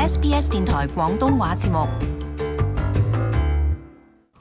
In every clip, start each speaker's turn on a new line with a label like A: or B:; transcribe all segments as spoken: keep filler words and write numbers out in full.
A: S B S 電台廣東話節目。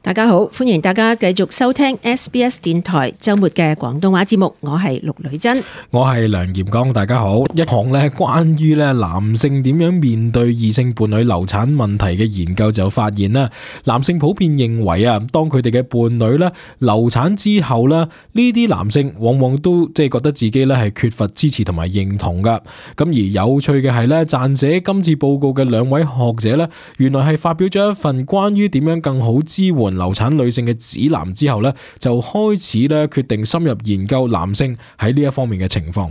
B: 大家好，歡迎大家繼續收聽 S B S 電台周末嘅廣東話節目，我係陸女珍，
C: 我係梁炎剛，大家好。一項咧關於咧男性點樣面對異性伴侶流產問題嘅研究就發現啦，男性普遍認為啊，當佢哋嘅伴侶咧流產之後咧，呢啲男性往往都即係覺得自己咧係缺乏支持同埋認同噶。咁而有趣嘅係咧，撰寫今次報告嘅兩位學者咧，原來係發表咗一份關於點樣更好支援流產女性嘅指南之後咧，就開始咧決定深入研究男性喺呢一方面嘅情況。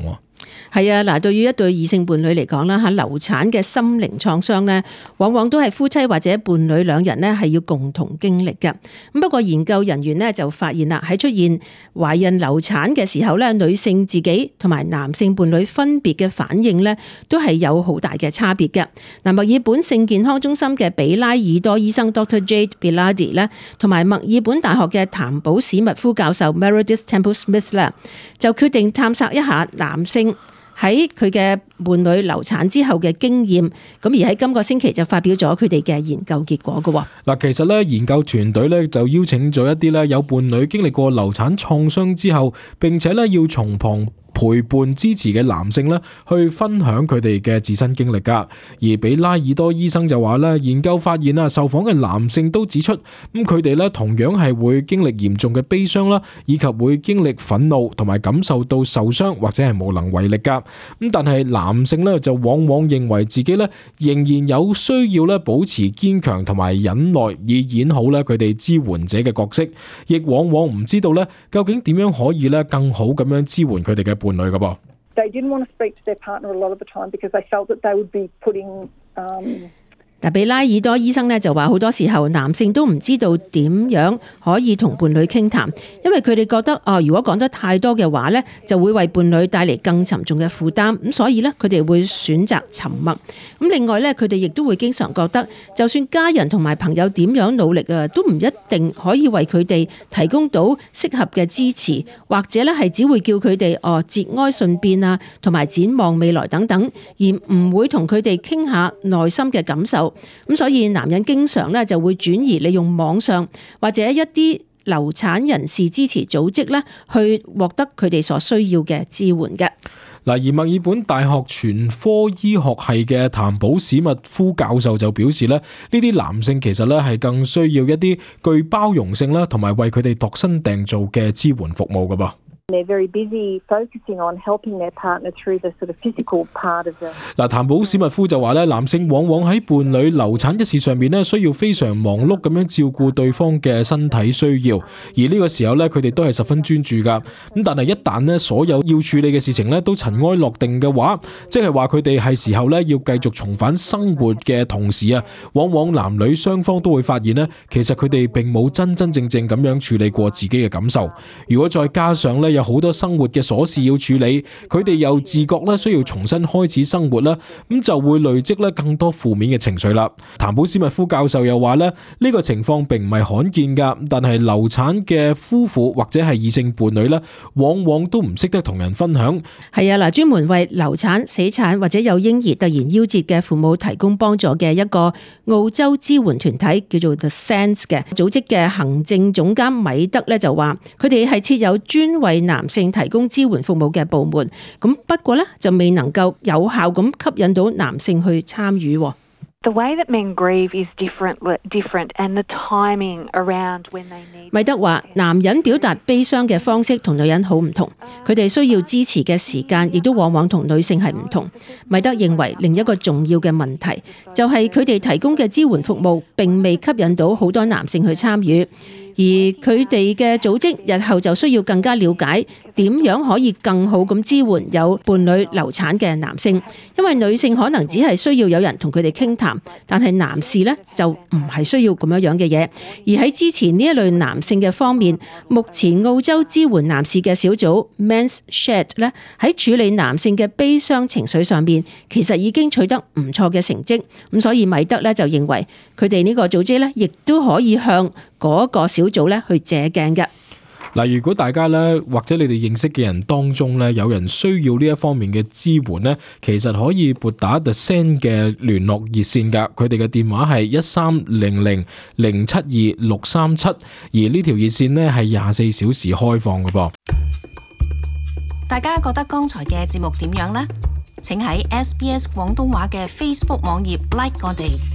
B: 係啊，嗱，對於一對異性伴侶嚟講啦，吓流產嘅心靈創傷咧，往往都係夫妻或者伴侶兩人咧係要共同經歷嘅。咁不過研究人員咧就發現啦，喺出現懷孕流產嘅時候咧，女性自己同埋男性伴侶分別嘅反應咧，都係有好大嘅差別嘅。嗱，墨爾本性健康中心嘅比拉爾多醫生 Doctor Jade Biladi 咧，同埋墨爾本大學嘅譚寶史密夫教授 Meredith Temple Smith 咧，就決定探索一下男性喺佢嘅伴侶流產之後嘅經驗，咁而喺今個星期就發表咗佢哋嘅研究結果嘅。
C: 嗱，其實咧研究團隊咧就邀請咗一啲咧有伴侶經歷過流產創傷之後，並且咧要從旁陪伴支持嘅男性咧，去分享佢哋嘅自身經歷噶。而比拉爾多醫生就話咧，研究發現啊，受訪嘅男性都指出，咁佢哋咧同樣係會經歷嚴重嘅悲傷啦，以及會經歷憤怒同埋感受到受傷或者係無能為力噶。咁但係男性咧就往往認為自己咧仍然有需要咧保持堅強同埋忍耐，以演好咧佢哋支援者嘅角色，亦往往唔知道咧究竟點樣可以咧更好咁樣支援佢哋嘅伴侶噶噃。
D: They didn't want to speak to their partner a lot of the time because they felt that they would be putting um
B: 嗱，比拉爾多醫生咧就話好多時候男性都唔知道點樣可以同伴侶傾談，因為佢哋覺得哦，如果講得太多嘅話咧，就會為伴侶帶嚟更沉重嘅負擔，咁所以咧佢哋會選擇沉默。咁另外咧，佢哋亦都會經常覺得，就算家人同埋朋友點樣努力啊，都唔一定可以為佢哋提供到適合嘅支持，或者咧係只會叫佢哋哦節哀順變啊，同埋展望未來等等，而唔會同佢哋傾下內心嘅感受。咁所以男人經常咧就會轉移利用網上或者一啲流產人士支持組織咧，去獲得佢哋所需要嘅支援嘅。
C: 嗱，而墨爾本大學全科醫學系嘅譚寶史密夫教授就表示咧，呢啲男性其實咧係更需要一啲具包容性啦，同埋為佢哋度身訂造嘅支援服務噶噃。
D: They're very busy focusing on helping their partner through the sort of physical part of the
C: 嗱，譚寶史密夫就話咧，男性往往喺伴侶流產一事上面咧，需要非常忙碌咁樣照顧對方嘅身體需要，而呢個時候咧，佢哋都係十分專注噶。咁但係一旦咧所有要處理嘅事情咧都塵埃落定嘅話，即係話佢哋係時候咧要繼續重返生活嘅同時啊，往往男女雙方都會發現咧，其實佢哋並冇真真正正咁樣處理過自己嘅感受。如果再加上咧有好多生活嘅瑣事要處理，佢哋又自覺咧需要重新開始生活啦，咁就會累積咧更多負面嘅情緒啦。譚寶史密夫教授又話咧，呢個情況並唔係罕見噶，但係流產嘅夫婦或者係異性伴侶咧，往往都唔識得同人分享。
B: 係啊，嗱，專門為流產、死產或者有嬰兒突然夭折嘅父母提供幫助嘅一個澳洲支援團體叫做 The Sense 嘅組織嘅行政總監米德咧就話，佢哋係設有專為男性提供支援服務嘅部門，咁不過咧就未能夠有效咁吸引到男性去參與。
E: The way that men grieve is different, different, and the timing around when they need.
B: 米德話：男人表達悲傷嘅方式同女人好唔同，佢哋需要支持嘅時間亦都往往同女性係唔同。米德認為另一個重要嘅問題就係佢哋提供嘅支援服務並未吸引到好多男性去參與。而佢哋嘅組織日後就需要更加了解點樣可以更好咁支援有伴侶流產嘅男性，因為女性可能只係需要有人同佢哋傾談，但係男士呢就唔係需要咁樣樣嘅嘢。而喺支持呢一類男性嘅方面，目前澳洲支援男士嘅小組 Men's Shed 呢喺處理男性嘅悲傷情緒上面，其實已經取得唔錯嘅成績。咁所以米德呢就認為佢哋呢個組織呢亦都可以向嗰個小組咧去借鏡嘅。
C: 嗱，如果大家咧或者你哋認識嘅人當中咧有人需要呢一方面嘅支援咧，其實可以撥打 The Send 嘅聯絡熱線噶，佢哋嘅電話係一三零零零七二六三七，而呢條熱線咧係廿四小時開放嘅噃。
A: 大家覺得剛才嘅節目點樣呢？請喺 S B S 廣東話嘅 Facebook 網頁 like 我哋。